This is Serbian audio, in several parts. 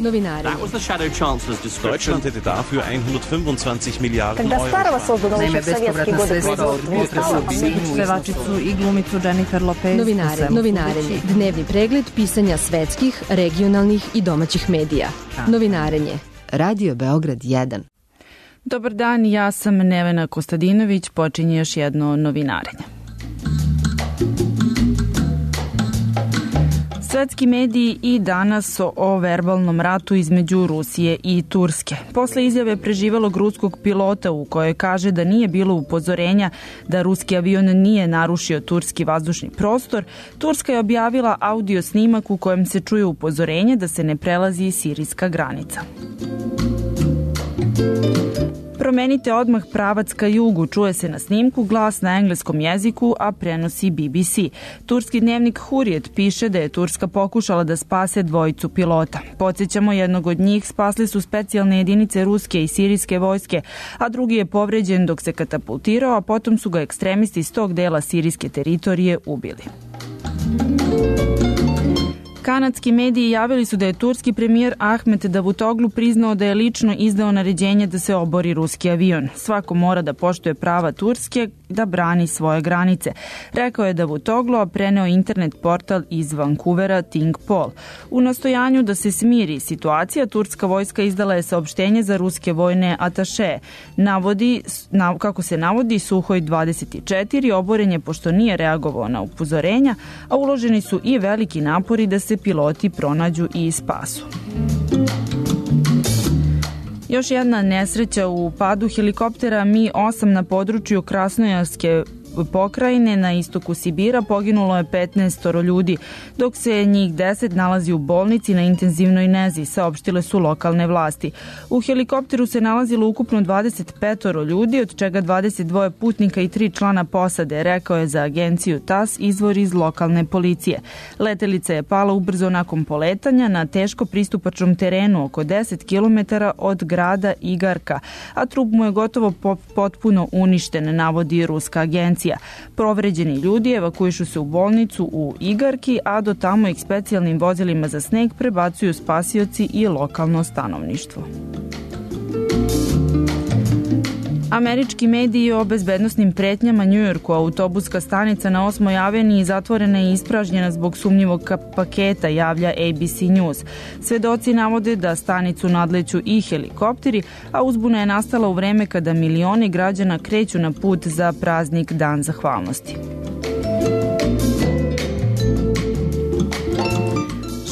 Novinari. Deutschland hätte dafür 125 Milijarden Euro. Naime, bespovratna sredstva od pevačicu i glumicu Jennifer Lopez. Novinarenje. Dnevni pregled pisanja svetskih, regionalnih i domaćih medija. Novinarenje. Radio Beograd 1. Dobar dan, ja sam Nevena Kostadinović, počinje još jedno novinarenje. Svetski mediji i danas o verbalnom ratu između Rusije i Turske. Posle izjave preživelog ruskog pilota u kojoj kaže da nije bilo upozorenja da ruski avion nije narušio turski vazdušni prostor, Turska je objavila audio snimak u kojem se čuje upozorenje da se ne prelazi sirijska granica. Promenite odmah pravac ka jugu, čuje se na snimku glas na engleskom jeziku, a prenosi BBC. Turski dnevnik Hurriyet piše da je Turska pokušala da spase dvojicu pilota. Podsjećamo, jednog od njih spasli su specijalne jedinice ruske i sirijske vojske, a drugi je povređen dok se katapultirao, a potom su ga ekstremisti iz tog dela sirijske teritorije ubili. Kanadski mediji javili su da je turski premijer Ahmet Davutoglu priznao da je lično izdao naređenje da se obori ruski avion. Svako mora da poštuje prava Turske da brani svoje granice, rekao je Davutoglu, a preneo internet portal iz Vancouvera Think Pol. U nastojanju da se smiri situacija, turska vojska izdala je saopštenje za ruske vojne ataše. Kako se navodi, Suhoj 24 oboren je pošto nije reagovao na upozorenja, a uloženi su i veliki napori da se piloti pronađu i spasu. Još jedna nesreća u padu helikoptera Mi-8 na području Krasnojarske pokrajine na istoku Sibira. Poginulo je 15 ljudi, dok se njih 10 nalazi u bolnici na intenzivnoj nezi, saopštile su lokalne vlasti. U helikopteru se nalazilo ukupno 25 ljudi, od čega 22 putnika i 3 člana posade, rekao je za agenciju TAS izvor iz lokalne policije. Letelica je pala ubrzo nakon poletanja na teško pristupačnom terenu oko 10 km od grada Igarka, a trup mu je gotovo potpuno uništen, navodi ruska agencija. Povređeni ljudi evakuišu se u bolnicu u Igarki, a do tamo ih specijalnim vozilima za sneg prebacuju spasioci i lokalno stanovništvo. Američki mediji o bezbednosnim pretnjama Njujorku. Autobuska stanica na 8. aveniji zatvorena i ispražnjena zbog sumnjivog paketa, javlja ABC News. Svedoci navode da stanicu nadleću i helikopteri, a uzbuna je nastala u vreme kada milioni građana kreću na put za praznik Dan zahvalnosti.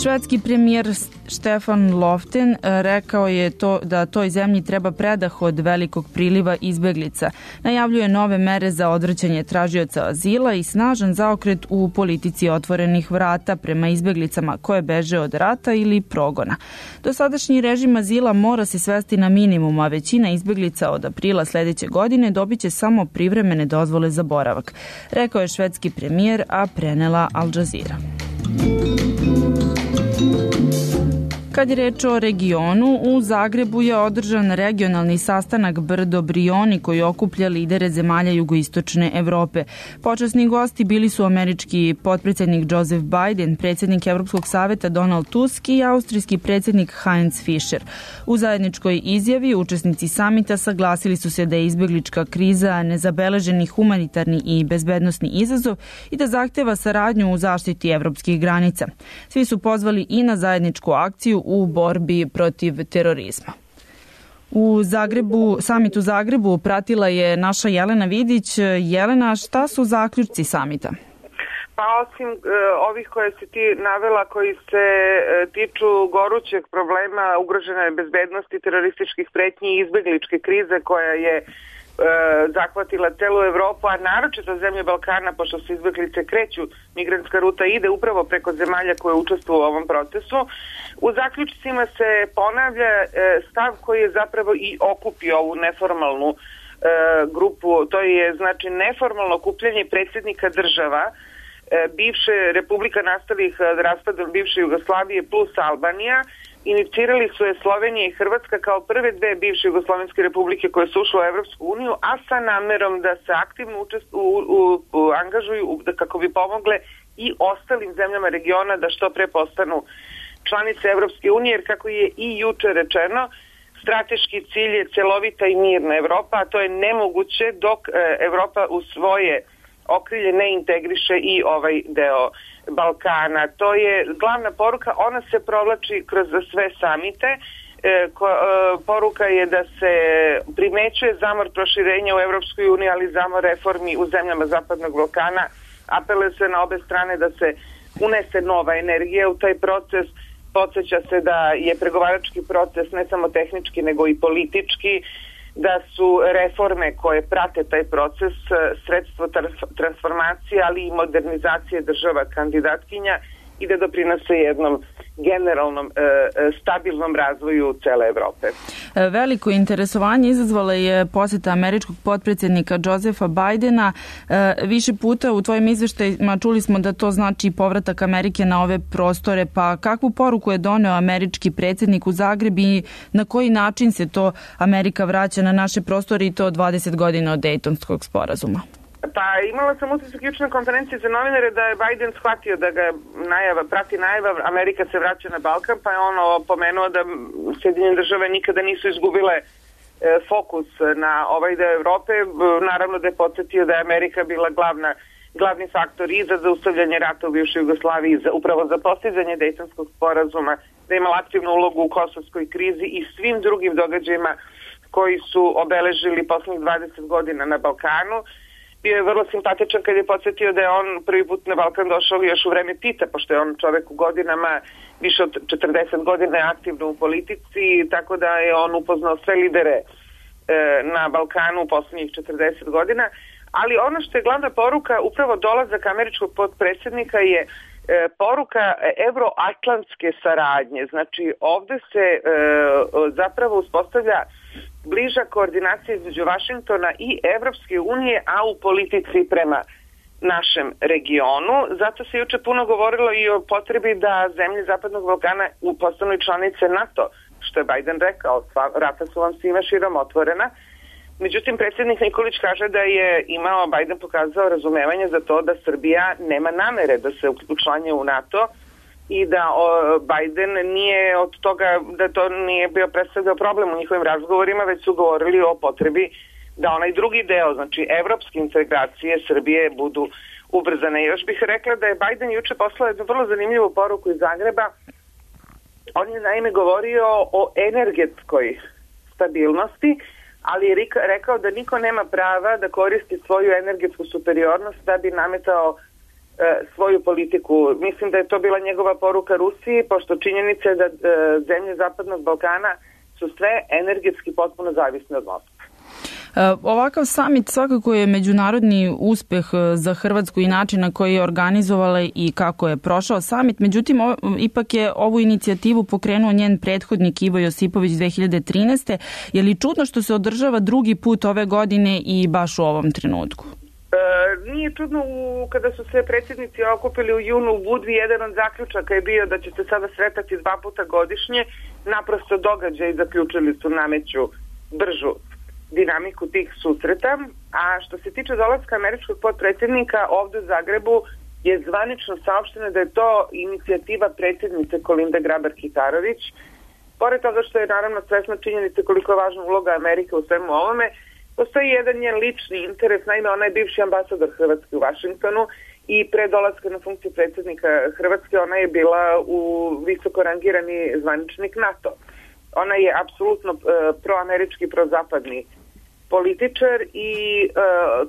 Švedski premijer Stefan Löfven rekao je da toj zemlji treba predah od velikog priliva izbeglica. Najavljuje nove mere za odvraćanje tražioca azila i snažan zaokret u politici otvorenih vrata prema izbeglicama koje beže od rata ili progona. Dosadašnji režim azila mora se svesti na minimum, a većina izbeglica od aprila sledeće godine dobiće samo privremene dozvole za boravak, rekao je švedski premijer, a prenela Al Jazeera. Kad je reč o regionu, u Zagrebu je održan regionalni sastanak Brdo Brioni koji okuplja lidere zemalja jugoistočne Evrope. Počasni gosti bili su američki potpredsjednik Joseph Biden, predsjednik Evropskog saveta Donald Tusk i austrijski predsjednik Heinz Fischer. U zajedničkoj izjavi učesnici samita saglasili su se da je izbeglička kriza nezabeleženi humanitarni i bezbednosni izazov i da zahteva saradnju u zaštiti evropskih granica. Svi su pozvali i na zajedničku akciju u borbi protiv terorizma. Samit u Zagrebu pratila je naša Jelena Vidić. Jelena, šta su zaključci samita? Pa osim ovih koje si ti navela, koji se tiču gorućeg problema ugrožene bezbednosti, terorističkih pretnji i izbegličke krize koja je zahvatila celu Evropu, a naročito zemlje Balkana, pošto se izbeglice kreću, migrantska ruta ide upravo preko zemalja koje učestvuju u ovom procesu. U zaključcima se ponavlja stav koji je zapravo i okupio ovu neformalnu grupu, to je znači neformalno okupljanje predsjednika država bivše republika nastalih raspadom bivše Jugoslavije plus Albanija. Inicirali su je Slovenija i Hrvatska kao prve dve bivše jugoslovenske republike koje su ušle u Evropsku uniju, a sa namerom da se aktivno angažuju kako bi pomogle i ostalim zemljama regiona da što pre postanu članice Evropske unije, jer kako je i juče rečeno, strateški cilj je celovita i mirna Evropa, a to je nemoguće dok Evropa u svoje okrilje ne integriše i ovaj deo Balkana. To je glavna poruka, ona se provlači kroz sve samite. Poruka je da se primećuje zamor proširenja u Evropskoj uniji, ali zamor reformi u zemljama Zapadnog Balkana. Apeluje se na obe strane da se unese nova energija u taj proces. Podsjeća se da je pregovarački proces ne samo tehnički nego i politički, da su reforme koje prate taj proces sredstvo transformacije, ali i modernizacije država kandidatkinja i da doprinose jednom generalnom stabilnom razvoju cele Evrope. Veliko interesovanje izazvala je poseta američkog potpredsjednika Josepha Bidena. Više puta u tvojim izveštajima čuli smo da to znači povratak Amerike na ove prostore, pa kakvu poruku je doneo američki predsjednik u Zagreb i na koji način se to Amerika vraća na naše prostore i to 20 godina od Dejtonskog sporazuma? Pa imala sam utisak juče na konferenciji za novinare da je Biden shvatio da ga prati najava Amerika se vraća na Balkan, pa je ono pomenuo da Sjedinjene države nikada nisu izgubile fokus na ovaj deo Evrope. Naravno da je podsjetio da je Amerika bila glavni faktor i za zaustavljanje rata u bivšoj Jugoslaviji, upravo za postizanje Dejtonskog sporazuma, da je imala aktivnu ulogu u kosovskoj krizi i svim drugim događajima koji su obeležili poslednjih 20 godina na Balkanu. Bio je vrlo simpatičan kad je podsjetio da je on prvi put na Balkan došao još u vreme Tita, pošto je on čovek u godinama, više od 40 godina je aktivno u politici, tako da je on upoznao sve lidere na Balkanu u poslednjih 40 godina. Ali ono što je glavna poruka, upravo dolazak američkog potpredsjednika je poruka evroatlantske saradnje. Znači ovde se zapravo uspostavlja bliža koordinacija između Vašingtona i Evropske unije, a u politici prema našem regionu. Zato se juče puno govorilo i o potrebi da zemlje Zapadnog Balkana postanu članice NATO, što je Biden rekao, vrata su vam svima širom otvorena. Međutim, predsjednik Nikolić kaže da je Biden pokazao razumevanje za to da Srbija nema namere da se učlanje u NATO i da Biden nije od toga, da to nije bio predstavljao problem u njihovim razgovorima, već su govorili o potrebi da onaj drugi deo, znači evropske integracije Srbije budu ubrzane. Još bih rekla da je Biden juče poslao jednu vrlo zanimljivu poruku iz Zagreba. On je naime govorio o energetskoj stabilnosti, ali je rekao da niko nema prava da koristi svoju energetsku superiornost da bi nametao svoju politiku. Mislim da je to bila njegova poruka Rusiji, pošto činjenica je da zemlje Zapadnog Balkana su sve energetski potpuno zavisne od Moskve. Ovakav samit svakako je međunarodni uspeh za Hrvatsku i način na koji je organizovala i kako je prošao samit. Međutim, ipak je ovu inicijativu pokrenuo njen prethodnik Ivo Josipović 2013. Je li čudno što se održava drugi put ove godine i baš u ovom trenutku? Nije čudno kada su se predsjednici okupili u junu u Budvi, jedan od zaključaka je bio da će se sada sretati 2 puta godišnje. Naprosto događaj zaključili su nameću bržu dinamiku tih susreta. A što se tiče dolaska američkog potpredsjednika ovde u Zagrebu je zvanično saopšteno da je to inicijativa predsjednice Kolinde Grabar-Kitarović. Pored toga što je naravno svesna činjenica koliko je važna uloga Amerike u svemu ovome, postoji jedan njen lični interes. Naime, ona je bivši ambasador Hrvatske u Vašingtonu i pre dolaska na funkciju predsjednika Hrvatske ona je bila visoko rangirani zvaničnik NATO. Ona je apsolutno proamerički, prozapadni političar i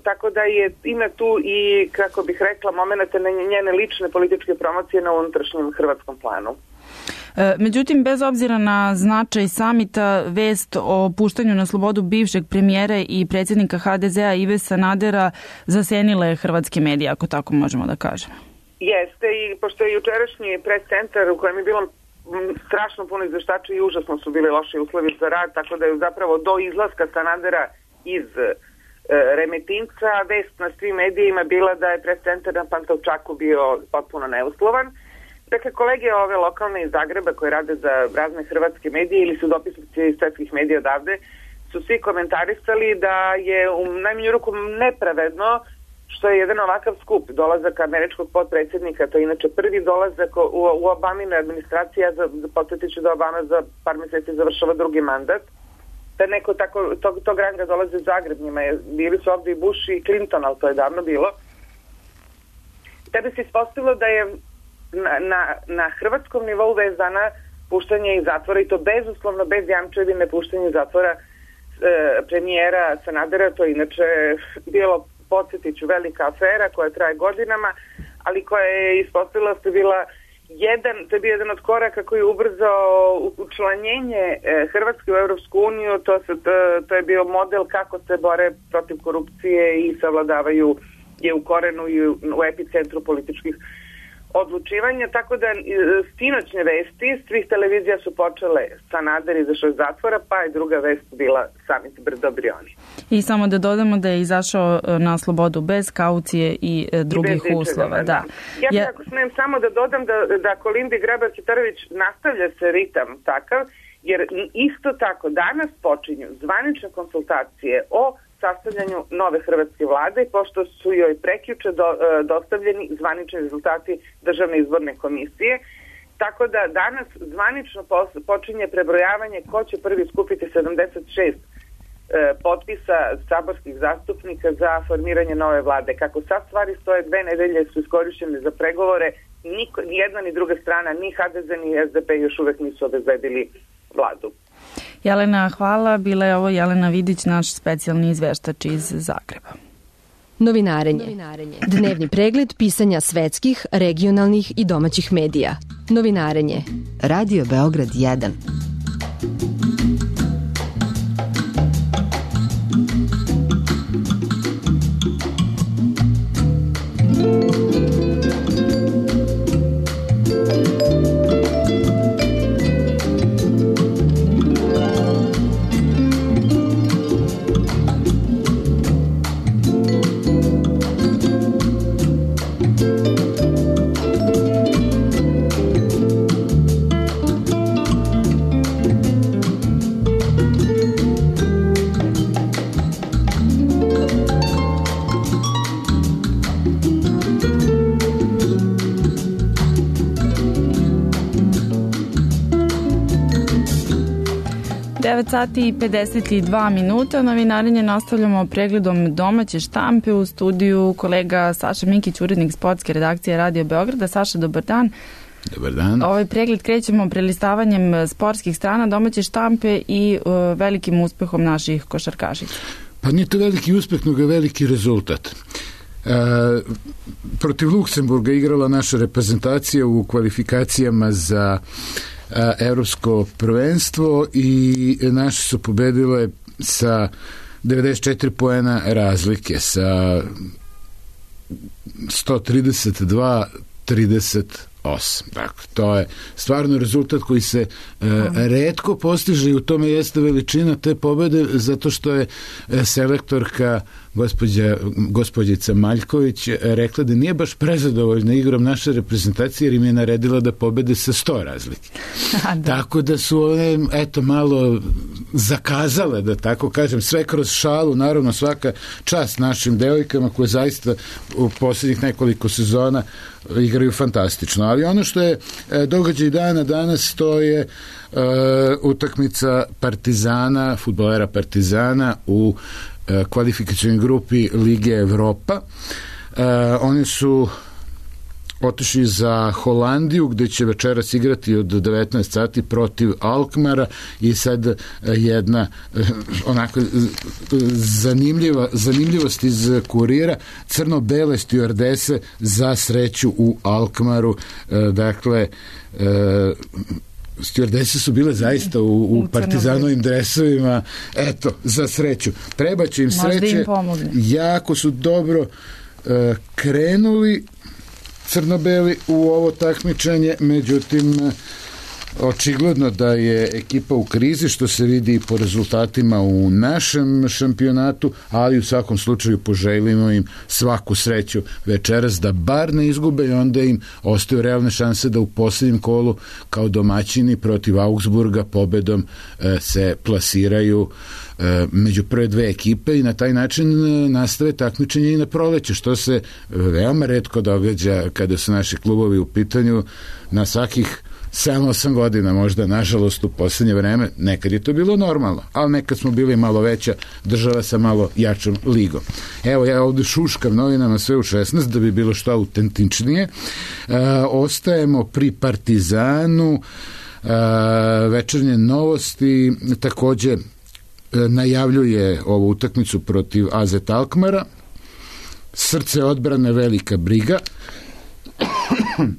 tako da ima tu i, kako bih rekla, momenata njene lične političke promocije na unutrašnjem hrvatskom planu. Međutim, bez obzira na značaj samita, vest o puštanju na slobodu bivšeg premijera i predsjednika HDZ-a Ive Sanadera zasenila je hrvatske medije, ako tako možemo da kažemo. Jeste, i pošto je jučerašnji pres centar u kojem je bilo strašno puno izveštača i užasno su bili loši uslovi za rad, tako da je zapravo do izlaska Sanadera iz Remetinca vest na svim medijima bila da je pres centar na Pantovčaku bio potpuno neuslovan. Dakle, kolege ove lokalne iz Zagreba koje rade za razne hrvatske medije ili su dopisnici iz svetskih medija odavde su svi komentarisali da je u najmanju ruku nepravedno što je jedan ovakav skup, dolazak američkog potpredsjednika, to je inače prvi dolazak u Obamine administracije, podsjetit ću da Obama za par mjeseci završava drugi mandat, da neko tako, tog ranga dolaze u Zagreb, bili su ovdje i Bush i Clinton, ali to je davno bilo. Tebe se ispostavilo da je na hrvatskom nivou vezana puštanje iz zatvora, i to bezuslovno, bez jamčevine puštanje iz zatvora premijera Sanadera. To je inače bilo, podsjetit ću, velika afera koja traje godinama, ali koja je ispostavila da je bila to je bio jedan od koraka koji je ubrzao učlanjenje Hrvatske u Europsku uniju. To je bio model kako se bore protiv korupcije i savladavaju je u korenu i u epicentru političkih odlučivanja, tako da sinoćne vesti svih televizija su počele Sanader izašao iz zatvora, pa je druga vest bila samit Brdo-Brioni. I samo da dodamo da je izašao na slobodu bez kaucije i drugih uslova. Da. Ja ako smijem samo da dodam da Kolindi Grabar-Kitarović nastavlja se ritam takav, jer isto tako danas počinju zvanične konsultacije o sastavljanju nove hrvatske vlade, pošto su joj prekjuče dostavljeni zvanični rezultati Državne izborne komisije. Tako da danas zvanično počinje prebrojavanje ko će prvi skupiti 76 potpisa saborskih zastupnika za formiranje nove vlade. Kako sad stvari stoje, 2 nedelje su iskorišćene za pregovore, ni jedna ni druga strana, ni HDZ ni SDP još uvek nisu obezbedili vladu. Jelena, hvala. Bila je ovo Jelena Vidić, naš specijalni izveštač iz Zagreba. Novinarenje. Dnevni pregled pisanja svetskih, regionalnih i domaćih medija. Novinarenje. Radio Beograd 1. Sati i 52 minuta. Novinarenje nastavljamo pregledom domaće štampe. U studiju kolega Saša Mikić, urednik sportske redakcije Radio Beograda. Saša, dobar dan. Dobar dan. Ovaj pregled krećemo prelistavanjem sportskih strana domaće štampe i velikim uspehom naših košarkašica. Pa nije to veliki uspeh, nego je veliki rezultat. Protiv Luksemburga igrala naša reprezentacija u kvalifikacijama za evropsko prvenstvo i naše su pobedile sa 94 poena razlike, sa 132-38. Dakle, to je stvarno rezultat koji se retko postiže i u tome jeste veličina te pobede, zato što je selektorka gospođica Maljković rekla da nije baš prezadovoljna igrom naše reprezentacije jer im je naredila da pobede sa 100 razlike. Tako da su one malo zakazale, da tako kažem, sve kroz šalu. Naravno, svaka čast našim devojkama koje zaista u posljednjih nekoliko sezona igraju fantastično. Ali ono što je događaj dana danas, to je utakmica Partizana, fudbalera Partizana u kvalifikacijnoj grupi Lige Evropa. Oni su otišli za Holandiju, gde će večeras igrati od 19 sati protiv Alkmara i sad jedna onako zanimljivost iz kurira, crno-bele stjuardese za sreću u Alkmaru. Dakle, stjuardese su bile zaista u partizanovim dresovima, eto, za sreću. Treba će im sreće, jako su dobro krenuli crno-beli u ovo takmičenje, međutim Očigledno da je ekipa u krizi, što se vidi po rezultatima u našem šampionatu, ali u svakom slučaju poželimo im svaku sreću večeras da bar ne izgube i onda im ostaju realne šanse da u posljednjem kolu kao domaćini protiv Augsburga pobedom se plasiraju među prve dve ekipe i na taj način nastave takmičenje i na proleće, što se veoma retko događa kada su naši klubovi u pitanju. Na svakih 7-8 godina možda, nažalost, u posljednje vreme. Nekad je to bilo normalno, ali nekad smo bili malo veća država sa malo jačom ligom. Evo, ja ovdje šuškam novinama sve u 16 da bi bilo što autentičnije. Ostajemo pri Partizanu. Večernje novosti također najavljuje ovu utakmicu protiv AZ Alkmara. Srce odbrane, velika briga.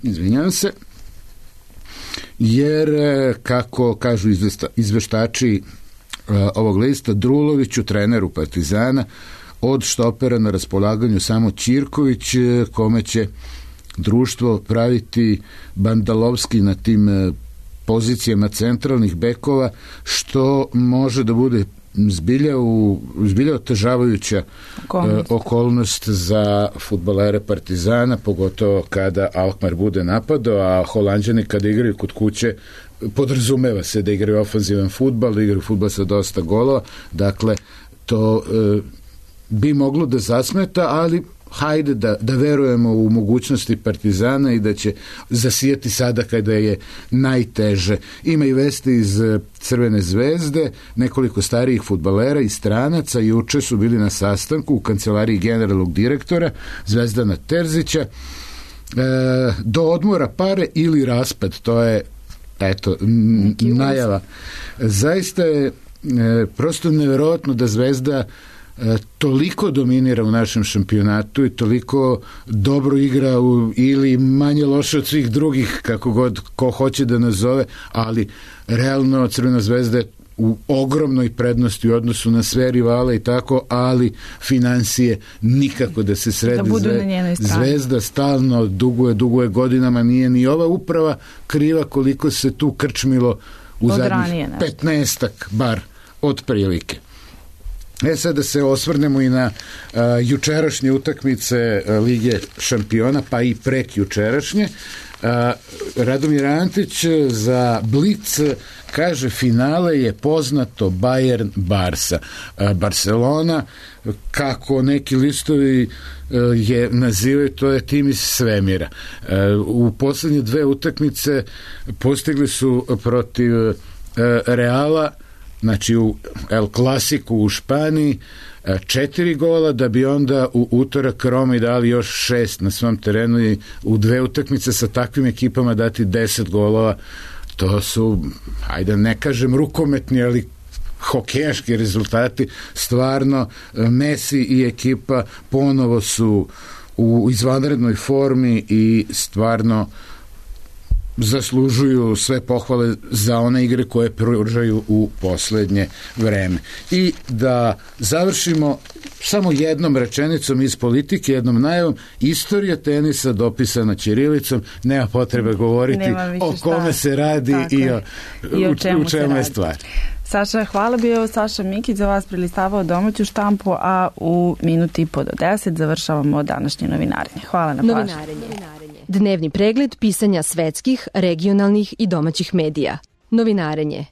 Izvinjavam se. Jer, kako kažu izveštači ovog lista, Druloviću, treneru Partizana, od štopera na raspolaganju samo Ćirković, kome će društvo praviti Bandalovski na tim pozicijama centralnih bekova, što može da bude zbilja otežavajuća okolnost za fudbalere Partizana, pogotovo kada Alkmaar bude napadao, a Holanđani kada igraju kod kuće podrazumeva se da igraju ofanzivan fudbal, da igraju fudbal sa dosta golova, dakle to bi moglo da zasmeta, ali hajde da verujemo u mogućnosti Partizana i da će zasijati sada kada je najteže. Ima i vesti iz Crvene zvezde, nekoliko starijih fudbalera i stranaca juče su bili na sastanku u kancelariji generalnog direktora Zvezdana Terzića. Do odmora pare ili raspad, to je najava. Zaista je prosto nevjerojatno da Zvezda toliko dominira u našem šampionatu i toliko dobro igra ili manje loše od svih drugih, kako god ko hoće da nazove, ali realno Crvena zvezda je u ogromnoj prednosti u odnosu na sve rivale i tako, ali financije nikako da se sredi. Zvezda stalno duguje godinama, nije ni ova uprava kriva koliko se tu krčmilo u zadnjih 15-ak bar otprilike. Sad da se osvrnemo i na jučerašnje utakmice Lige šampiona, pa i prek jučerašnje. Radomir Antić za Blic kaže finale je poznato Bayern Barsa. Barcelona, kako neki listovi je nazivaju, to je tim iz svemira. U posljednje dve utakmice postigli su protiv Reala, znači u El Clasiku u Španiji 4 gola, da bi onda u utorak Romi dali još 6 na svom terenu i u dve utakmice sa takvim ekipama dati 10 golova. To su, ajde ne kažem rukometni, ali hokejaški rezultati. Stvarno Messi i ekipa ponovo su u izvanrednoj formi i stvarno zaslužuju sve pohvale za one igre koje pružaju u posljednje vreme. I da završimo samo jednom rečenicom iz politike, jednom najavom: istorija tenisa dopisana ćirilicom, nema potrebe govoriti o kome se radi i u čemu je stvar. Saša, hvala, bio Saša Mikić za vas prelistavao domaću štampu, a u minuti i po do 10 završavamo današnje novinarenje. Hvala na pažnju. Dnevni pregled pisanja svetskih, regionalnih i domaćih medija. Novinarenje.